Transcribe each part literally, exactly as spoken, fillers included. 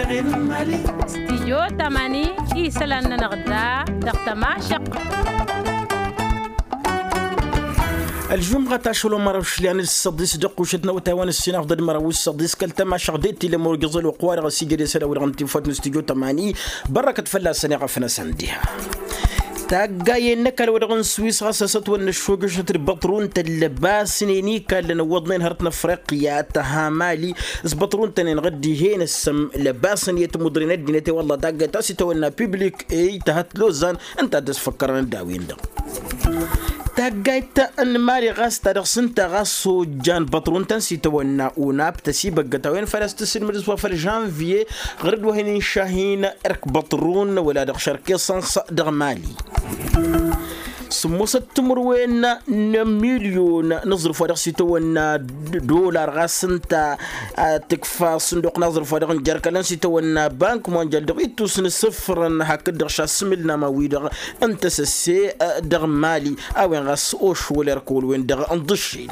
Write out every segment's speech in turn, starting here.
Stijyo tamani isălan-nănăɣ da dăɣ-tămašăɣt. Ălžumɣăt ašăl omăr ašli anǝssăḍis dăɣ-kušăt n-awătay wa n-ǝssin afḍăd măraw ǝssăḍis kăl-tămašăɣt d-etile murgǝẓ ălwăqq-wa-dăɣ ăsigăd i-isălan-wi-dăɣ n-tinfăt n-stijyo tamani. Bărrăkăt fălla-săn iɣăf-năsăn diha. Taggayen n-ăkall wa dăɣ-n swis ɣas asătwănna ăššojăšăt d-băṭrun-tăn lăbasnen ikallăn ǝwwăḍnen hărăt n-afriqya tăha mali. S-băṭrun-tăn-en ɣǝddihen ăssăm lăbasăn i-timudre n-ăddinăt i-wălla taggayt ta s-itawănna piblik ey tăhăt lozan. Ǝnta a dd-ăsfăkkărăn d-a-wen-dăɣ. Taggayt n-mali ɣas ta dăɣ-s ǝnta ɣas ojjan băṭrun-tăn s-itawănna unap tăsibăggăt a-wen făl a-s tǝsǝlmǝd s-wa făll-žănviye. Ɣur-dd wa hin-inšahin erk băṭrun wăla dăɣ-šărk esăns dăɣ-mali. Sǝmmosăt timǝrwen n-milyon n-aẓrǝf wa dăɣ-s itawănna dolar ɣas ǝnta. Tǝkfa sǝnduq n-aẓrǝf wa dăɣ-n-jerkălăn s-itawănna bank monjal dăɣ-ittus n-asǝfrăn hakd-dăɣ šasǝmǝl n-ama-wi-dăɣ n-tăsăsse dăɣ-mali. A-wen ɣas ošwăl erk wăl-wen-dăɣ n-iḍǝššel.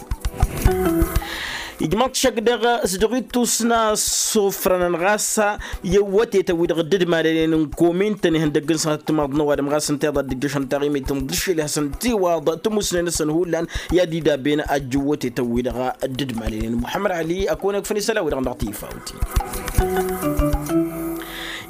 Ijmaḍ šăkk dăɣ-s dăɣ-ittus n-asǝfrănăn ɣas i-awătetăn wi-dăɣ dd-malănen n-komin-tăn ihăndăgg n-sănăt timaḍ n-ăwadǝm ɣas ǝnta iḍa dd-ǝjjăšăn taɣimit n-iḍǝššel i-hasăn-tiwaḍ tămusnen-năsăn hullan. I-ad-idaben ajjǝw wătetăn-wi-dăɣ dd-malănen muḥămmăd ali ăkăwăn-ăkfăn isălan-wi-dăɣ dăɣ-tifawt.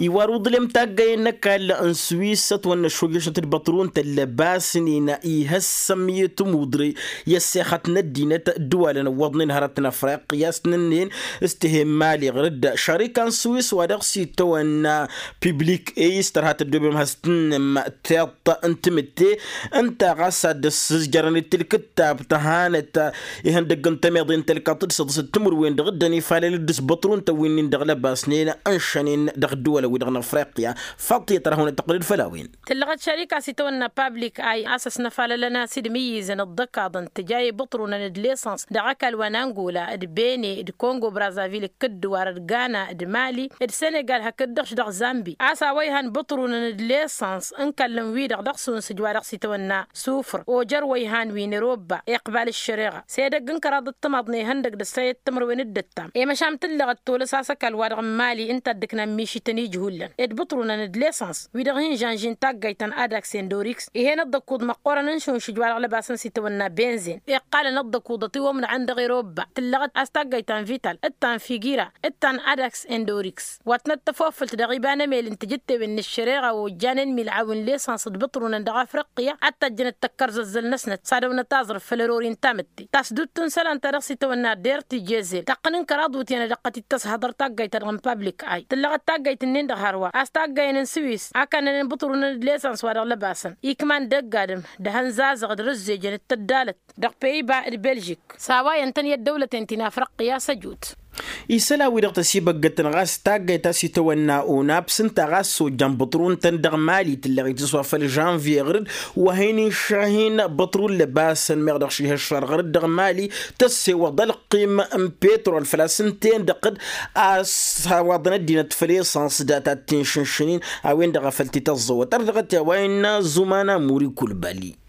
Iwar uḍlem taggayen n-ăkall n-swisăt wănnă šojăšăt d-băṭrun tăllăbasnen ihăssăm i-tămudre i-ăssexăt n-ăddinăt ădduwalăn ǝwwăḍnen hărăt n-afriqya s-tǝnnǝnnen s-tihemmali ɣur-dd šarika n-swis wa dăɣ-s itawănna piblik ey s-tărha tăddobem has-tǝnnǝm tiḍt n-timǝtte. Ǝnta ɣas ad-dd-ăssǝzjărăn d-tilkǝttab tăhanăt ihăndăgg n-tămeḍe n-tălkaḍt d-săḍǝsăt timǝrwen dăɣ-dd-ănifalăl d-ǝsbăṭru n-tăwwinnin dăɣ-lăbasnen ǝnšănen dăɣ-ădduwălăn-wi-dăɣ n-afriqya. Faḍt i-ad-tărhăwăn d-tăqqǝlăd făll-a-wen. Tǝllăɣăt šărika s-itawănna pablik ay a-s ăsnăfalălăn a-s idmǝyyǝzăn ǝḍḍăkaḍăn tǝja i-ibǝṭrunăn d-lesăns dăɣ-ăkall wa n-angola d-bene d-kongo brazavil d-kǝddǝwar d-gana d-mali d-senegal hakd-dăɣ-š dăɣ-zambi a-s a-wa ihan bǝṭrunăn d-lesăns n-kăllăn-wi-dăɣ dăɣ-sunsǝj wa dăɣ-s itawănna sufr ojăr wa ihan wi n-erobba iqbal ǝššăreɣa s-edăgg n-kăraḍ d-timaḍ n-ihăndăg d-ăssayăt timǝrwen d-ǝttam i-măšan tǝllăɣăt tolăs a-s ăkall wa dăɣ-n mali ǝnta a dd-ǝknan mišităn ijhullan d-bǝṭrunăn d-lesăns wi-dăɣ hin-žănžin taggayt ta n-adaks endoriks ih'-en ăḍḍăkuḍ măqqoorăn n-šunšǝj wa dăɣ-lăbasăn s-itawănna benzen iqqalăn ăḍḍăkuḍăt iwămnăɣăn dăɣ-erobba tǝllăɣăt a-s taggayt ta n-vital d-ta n-figira d-ta n-adaks endoriks wa tănăt-tăfofǝlt dăɣ-iba n-emel n-tijǝttewen n-ăššăreɣa ojjanen mil'aw n-lesăns d-bǝṭrunăn dăɣ-afriqya ad-tăjjănăt tăkkărzăzzăl-năsnăt s-ad-ăwnăt aẓrǝf făll-erori n-tamǝtte tasdut n-isălan ta dăɣ-s itawănna der tijezel taqqǝn n-kăraḍ wutyan ad-ăqqăt-dd-tăshăḍăr taggayt ta dăɣ-n pablik ay tǝllăɣăt taggayt-nin-dăɣ hărwa a-s taggayen n-sǝwis a kannănen bǝṭrunăn d-lesăns wa dăɣ-lăbasăn ikman d-ăgg-adǝm d-ehăn zazăɣ d-rǝzzejăn d-tăddalăt dăɣ-peyba d-belžik s-a-wa iyyăn-tăn i-ăddăwlăten ti n-afriqya s-ăjut. Isălan-wi-dăɣ tăsibăggătăn ɣas taggayt ta s-itawănna unap s-ǝnta ɣas ojjan bǝṭrun-tăn dăɣ-mali tǝllăɣ-it s-wa făll-žănviye ɣur-dd wa hin-išahin bǝṭrun lăbasăn meɣ dăɣ-šihăššar ɣur-dd dăɣ-mali tăssewăḍ ălqim n-petrol făl-a-s ǝnta-en-dăɣ d-a-s ăwaḍăn ăddinăt făll-esăns data d-tinšǝnšǝnin a-wen-dăɣ a făl t-tăẓẓăwăt ărdăɣăt i-a-wa innă zumana muri kulbali.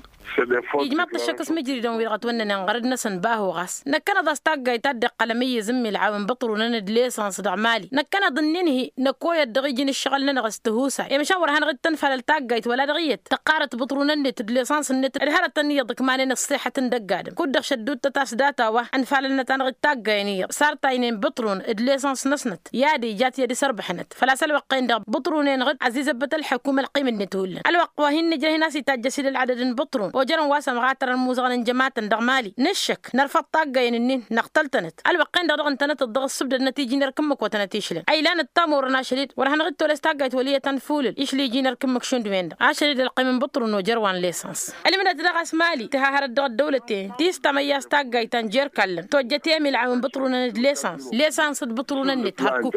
Ijmaḍ-t ăššăk s-imǝjridăn-wi-dăɣ ătwănnănen ɣărăd-năsăn bahu ɣas năkkăneḍ a-s taggayt ta dd-iqqăl amǝyyǝz n-mil'aw n-bǝṭrunăn d-lesăns dăɣ-mali năkkăneḍ ǝnnin-hi năkoyăt dăɣ-iji n-ǝššăɣǝl-nănăɣ s-tǝhusa i-măšan wăr hanăɣ-dd-tănfalăl taggayt wăla dăɣ-iyyăt tăqqarăt bǝṭrunăn-net d-lesăns-net d-hărătăn iyyăḍ ǝkmanen ǝṣṣixăt n-dăgg-adǝm kud-dăɣ šăddut tăt-a-s data wa ǝnfalălnăt-anăɣ-dd taggayen iyyăḍ sartaynen bǝṭrun d-lesăns-năsnăt i-ad-ija a t-dd-isărbăḥnăt făl-a-s ălwăqq-en-dăɣ bǝṭrunenăɣ-dd ăzizăbbăt ălḥăkum ălqim-net hullan ălwăqq wa hin-nǝjrăh-in a-s itajj ăsidăl ălɣădăd n-bǝṭrun ojărăn wa sămɣatărăn muzăɣăn n-jămatăn dăɣ-mali nǝššăk nărfăḍ taggayen-ǝnnin năɣtăl-tănăt ălwăqq-en-dăɣ dăɣ-ǝntănăt dd-dăɣ-ǝssǝbdădnăt iji n-erk ǝmmǝk wa tănăt-išlăn ăylanăt tamorrăn ašăl-dd wăr hanăɣ-dd-tolăs taggayt wăl' iyyăt ănfulǝl išli iji n-erk ǝmmǝk šund-wen-dăɣ ašăl-dd ălqim n-bǝṭrun ojăr wa n-lesăns. Ălmǝdăt daɣ a-s mali tǝha hărăt dăɣ-ăddăwlăten ti s-tamăyya a-s taggayt ta n-jer-ikallăn tojjăt i-mil'aw n-bǝṭrunăn d-lesăns lesăns d-bǝṭrunăn-net hărkuk.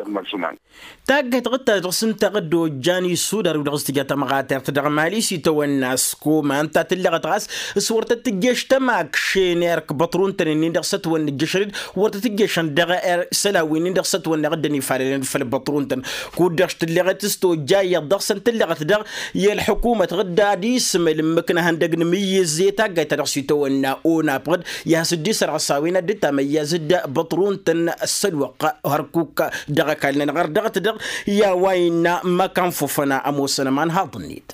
Taggayt ɣǝd-ta dăɣ-s ǝnta ɣǝd ojjan isudar wi-dăɣ s-tǝja tamɣatert dăɣ-mali s-itawănna s-koma ǝnta tǝllăɣăt. s-wăr tăt-tǝjješ tămakšen erk băṭrun-tăn-in-dăɣ s-ătwănna ǝjjăšăn-dd wăr tăt-tǝjješăn dăɣ-isălan-win-dăɣ s-ătwănna iɣǝddăn ifalălăn făll-băṭrun-tăn. Kud-dăɣ š-tǝlleɣet s-tojja iyyăḍ dăɣ-săn tǝlleɣăt dăɣ-i ălḥukumăt ɣǝdda ad-ismăl ǝmmǝk n-ehăndăg n-imǝyyǝz i-taggayt-ta-dăɣ s-itawănna onapɣ-dd i-ad-has-dd-isărɣǝs a-wen ad-dd-tamăyyaz d-băṭrun-tăn s-ălwăqq hărkuk dăɣ-ăkall-nănăɣ ărdăɣăt dăɣ-i a-wa innă măkanfufăn ămoosăn ămanhaḍ-net.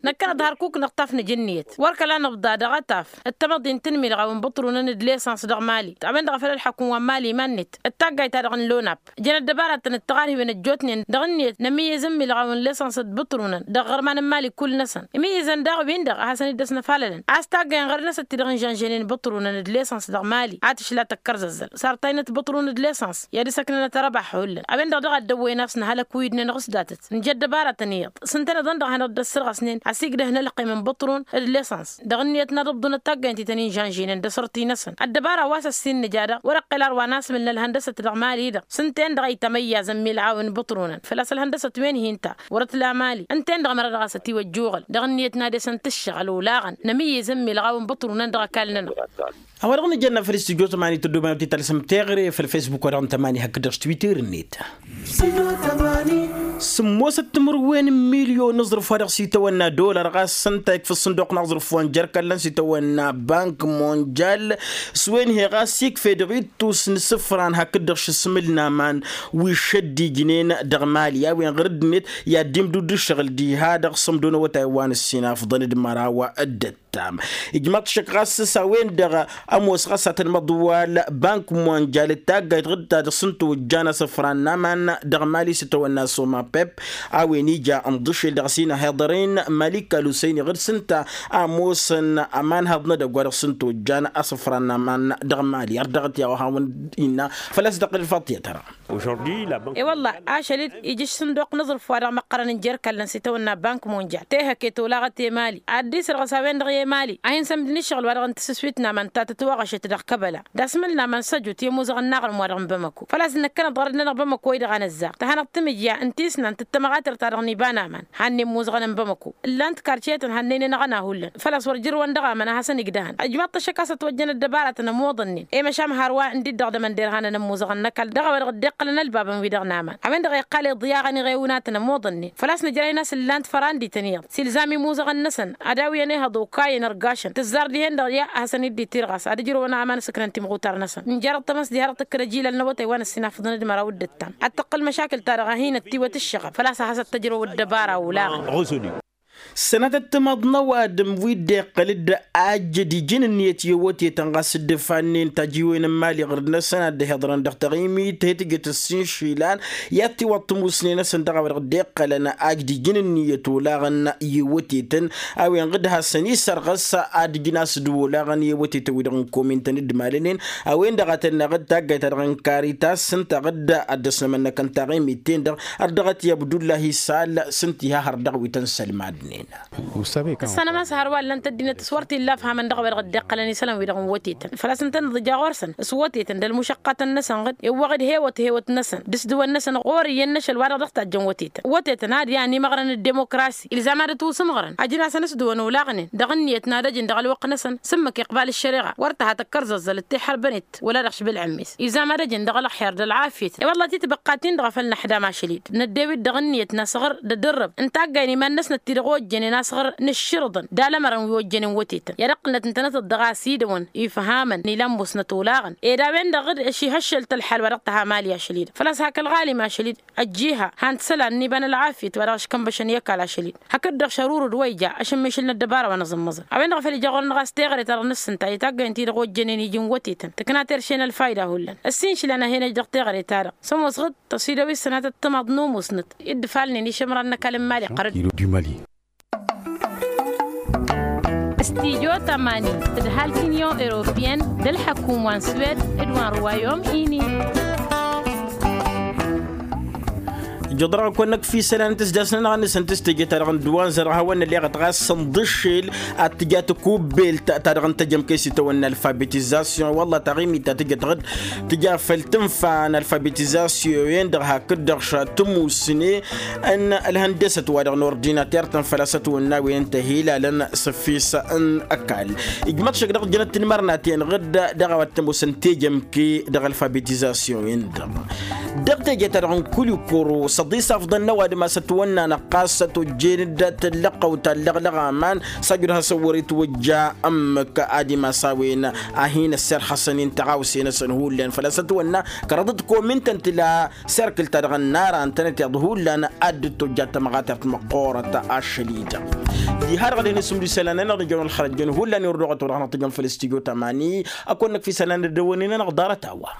Năkkăneḍ hărkuk-năɣ tafnǝj ǝnniyăt wăr kăla nǝbḍa dăɣ-ataf d-tamăḍint n-imilɣawen bǝṭrunăn d-lesăns dăɣ-mali. A-wen-dăɣ a făl ălḥăkun wa n-mali iman-net d-taggayt-ta-dăɣ n-lonap jăn ăddăbaratăn d-tiɣarhiwen ăjjootnen dăɣ-ǝnniyăt n-ămǝyyǝz n-imilɣawen lesăns d-bǝṭrunăn dăɣ-iɣărman n-mali kull-năsăn. Imǝyyǝzăn daɣ-win-dăɣ a hasăn-dd-ăsnăfalălăn a-s taggayăn ɣărăd-năsăn ti-dăɣ n-žănžănen bǝṭrunăn d-lesăns dăɣ-mali a tǝšla tăkkărzăzzăl sartăynăt bǝṭrun d-lesăns i-ad-ǝsăknănăt ărăbax hullan. A-wen-dăɣ daɣ a dd-ăwwăyăn a-s nǝhălăk wi dd-nănɣǝs datăt nǝja ăddăbarătăn iyyăḍ s-ǝntăneḍ-en-dăɣ a hanăɣ-dd-ăssărɣăsnen ăsigdăhăn ălqim n-bǝṭrun d-lesăns dăɣ-ǝnniyăt n-ad-ǝbḍǝnăt taggaynt-i tăn-in-žănžăynen d-asărti-năsăn. Ăddăbara wa s-ăssin nǝja daɣ wăr-ăqqel ar wa n-asmǝl n-ălhăndăsăt dăɣ-mali-dăɣ s-ǝnta-en-dăɣ a itamăyyaz ămmilɣawen bǝṭrunăn făl-a-s ălhăndăsăt wen hi-ǝnta wăr-ătla mali ǝnta-en-dăɣ mărăt dăɣ-a-s ătiwăjjuɣăl dăɣ-ǝnniyăt n-ad-esăn tǝššăɣǝl olaɣăn nămǝyyǝz ǝmmilɣawen bǝṭrunăn dăɣ-ăkall-nănăɣ. A-wa dăɣ-nǝjănna făll-istijjo tămani tăddoben ad-t-talsăm teɣăre făll-fesbuk wa dăɣ-n tămani hakd-dăɣ s-twitter-net. Sǝmmosăt timǝrwen n-milyon n-aẓrǝf wa dăɣ-s itawănna dolar ɣas s-ǝnta ikfa ăṣṣǝnduq n-aẓrǝf wa n-jer-kallăn s-itawănna bank monjal s-wen he ɣas ikf'-e dăɣ-ittus n-isǝfran hakd-dăɣ šǝsmǝl n-aman wi šăddijnen dăɣ-mali a-wen ɣur-dd-net i-ad-dd-imdud d-ǝššăɣǝl diha-dăɣ s-ămdon awătay wa n-ǝssin afḍăn d-măraw d-ăttam. Ijmaḍ-t šăkk ɣas s-a-wen-dăɣ ămoos ɣas ad-tăn-măḍwal bank monjal d-taggayt ɣǝd-ta-dăɣ s-ǝnta ojjan asǝfran n-aman dăɣ-mali s-itawănna soma pep a-wen ija ǝnḍǝšel dăɣ-s hin-ăhiḍăren malik al-usăyni ɣǝd s-ǝnta a ămoosăn ămanhăḍ n-edăgg wa dăɣ-s ǝnta ojjan asǝfran n-aman dăɣ-mali ărdăɣăt i-a-wa hawăn-innă făl-a-s dăɣ-kăl-faḍt i-ad-tăra. E-wălla ašăl-dd ija ăṣṣǝnduq n-aẓrǝf wa dăɣ-măqqărăn n-jer-kallăn s-itawănna bank monjal tehăke tolaɣăt i-mali ad-dd-isărɣǝs a-wen-dăɣ i-mali a hin-sămdǝn ǝššăɣǝl wa dăɣ-n tǝssǝswit n-aman ta tătwăɣăšăt dăɣ-kăbăla d-asmǝl n-aman săjut i-ămuzăɣăn n-aɣrǝm wa dăɣ-n bamăko făl-a-s năkkăneḍ ɣărăd-nănăɣ bamăko-i-dăɣ a năzzar tăhanăɣ-tǝmǝjja n-tisnant d-tamăɣatert-ta-dăɣ n-iba n-aman hannen imuzăɣăn n-bamăko ǝllan-t karcetăn hannen-enăɣ ănahullan făl-a-s wăr jărwăn dăɣ-aman a hasăn-igdăhăn ăjmaḍ-t ăššăk a-s ătwăjjăn ăddăbaratăn ămoḍănnen i-măšan hărwa ǝndid-dăɣ d-ămănder hanăn-ămmuzăɣăn n-ăkall dăɣ-a-wa dăɣ-dd-iqqălăn ălbabăn-wi-dăɣ n-aman a-wen-dăɣ iqqal iḍyaɣăn iɣewnatăn ămoḍănnen făl-a-s nǝjrăyăn a-s ǝllan-t fărandităn iyyăḍ s-ilzam imuzăɣăn-năsăn ad-awǝyăn ehăḍ okayăn ărgašăn tǝzzar dihen-dăɣ ya a hasăn-dd-itirɣas ad-ǝjrǝwăn aman ǝsǝknăn timɣutar-năsăn nǝjărăt tamăst diha-dăɣ tǝkkăd ăjilal n-awătay wa n-ǝssin afǝḍăn d-măraw d-ǝttam ad-tǝqqǝl măšakǝl-ta-dăɣ a hin-ăttiwăt ǝššăɣăb făl-a-s ad-has-ăttăjrăw ăddăbara olaɣăn. Sănatăt timaḍ n-ăwadǝm wi dd-iqqăl-dd ajjăd iji n-ǝnniyăt i-ăwătetăn ɣas dd-ifannen tajiwen n-imali ɣǝrǝd-năsăn ad-dd-hiḍărăn dăɣ-taɣimit he-tǝjăt ăssinšilan i-ad-tiwăḍ tămusne-năsăn dăɣ-a-wa dăɣ-dd-iqqălăn ajjăd iji n-ǝnniyăt olaɣăn i-ăwătetăn a-wen ɣǝd-hasăn-isărɣǝs ad-ǝjnas d-olaɣăn i-ăwătetăn-wi-dăɣ n-komin-tăn dd-malănen a-wen-dăɣ a tănneɣ d-taggayt-ta-dăɣ n-karitas s-ǝnta ɣǝd ad-dăr-s nămănnăkăn taɣimit-ten-dăɣ ărdăɣăt i-abdullahi sal s-ǝnta iha hărdăɣ wi tăn-sălmadnen. Tǝssanăm a-s hărwa ǝllăn-t ăddinăt s-wăr t-illa ǝfhamăn dăɣ-a-wa dăɣ-dd-iqqălăn isălan-wi-dăɣ n-wătetăn făl-a-s ǝntăneḍ ija ɣur-săn s-wătetăn d-ălmušăqqatăn-năsăn ɣǝd iwwăɣ-dd hewăt-hewăt-năsăn d-ǝsdǝwăn-năsăn ɣur-iyyăn n-ašăl wa dăɣ-dăɣ tajjăn wătetăn wătetăn ad-yan imăɣrăn d-dimokrasi ilzam ad-ătwǝsǝmɣărăn ajǝn-asăn ǝsdǝwăn olaɣnen dăɣ-ǝnniyăt n-ad-ăjǝn dăɣ-ălwăqq-năsăn s-ǝmmǝk iqbal ăššăreɣa wăr tăha tăkkărzăẓẓăl d-tiḥărbănet wăla dăɣ-š bǝlɣǝmmis ilzam ad-ăjǝn dăɣ-ălxer d-ălɣafyăt i-wălla titbăqqatin-dăɣ a făl năḥdam ašăl-i-dd năddew-dd dăɣ-ǝnniyăt n-asăɣr d-ădǝrrǝb n-taggayăn iman-năsnăt ti-dăɣ ojjănen asăɣr n-ǝššǝrǝḍăn d-alămărăn wi ojjănen wătetăn i-ad-ăqqǝlnăt ǝntănăt-dd dăɣ-a-s idăwăn ifhamăn ilan musnăt olaɣăn ed a-wen-dăɣ dd-ăšihăššăl-t ălḥal wa dăɣ-tăha mali ašăl-i-dăɣ făl-a-s hak ălɣalim ašăl-i-dd ăjjiha han-t isălan n-iba n-ălɣafyăt wa dăɣ-ăškănbăšăn i-ăkall ašăl-i-dd hakd-dăɣ šărurǝd wa ija ašǝmmišǝl n-ăddăbara wa n-aẓǝmmăẓăn a-wen-dăɣ a făl ija ɣur-năɣ a-s teɣăre-ta-dăɣ n-ǝssǝnta i-taggayăn-ti-dăɣ ojjănen iji n-wătetăn tǝkna terše n-ălfayda hullan ăssinšǝl-anăɣ hen-ăj dăɣ-teɣăre-ta-dăɣ s-ămoos ɣǝd tăsidăwit sănatăt timaḍ n-umusnăt i-dd-ifalnen išǝmran n-ăkall n-imali ɣărăd. Stijo tămani d-halk inyon europiyăn d-ălḥăkum wa n-swed d-wa n-ruwayom ini. Ijăḍrăɣ-kăwăn-năkf isălan n-tisdasnănăɣ-nǝsăn tǝstejăt-ta-dăɣ n-dd-wa n-zărha wa n-ălleɣăt ɣas sănḍǝššel ad-tǝja tăkubbelt ta-dăɣ n-tejămke s-itawănna alfabetizasyon wălla taɣimit ta tǝjăt dăɣ-dd tǝja făll-tǝnfa n-alfabetizasyon-en-dăɣ hakd-dăɣ šat tǝmusne n-ălhăndăsăt wa dăɣ-nordinater-tăn făl-a-s ătwănna a-wen ǝnta hilalăn s-ǝffis n-ăkall. Ijmăḍ šăkk dăɣ-jănăt tinmărnaten ɣǝdd dăɣ-a-wa t-ămoosăn tejămke dăɣ-alfabetizasyon-en-dăɣ. Dăɣ-teje-ta-dăɣ n-kulikuru s-ăḍisafḍăn n-ăwadǝm a-s ătwănna-năɣ ɣas ătojjen-dd tǝllăɣăw ta ǝllăɣlăɣ aman s-ajud has-ăwwăr-itwăjja ǝmmǝk ad-imas a-wen a hin-ăssirxăsăn-in tăɣawse-năsăn hullan făl-a-s ătwănna kăraḍăt komintăn tǝla serkǝl-ta-dăɣ ănnarantănăt iḍ hullan ad-dd-tojja tămɣatert măqqoorăt ašăl-i-dăɣ. Diha dăɣ-dăɣ-en isǝmdǝw isălan-nănăɣ nǝjăwăn ălxărăt jăn hullan i-wăr dăɣ-tăwăḍ hanăɣ-tăjăn făll-stujo tamani. Ăkk wănnăkf isălan dd-ăwwănen-anăɣ ḍarăt a-wa.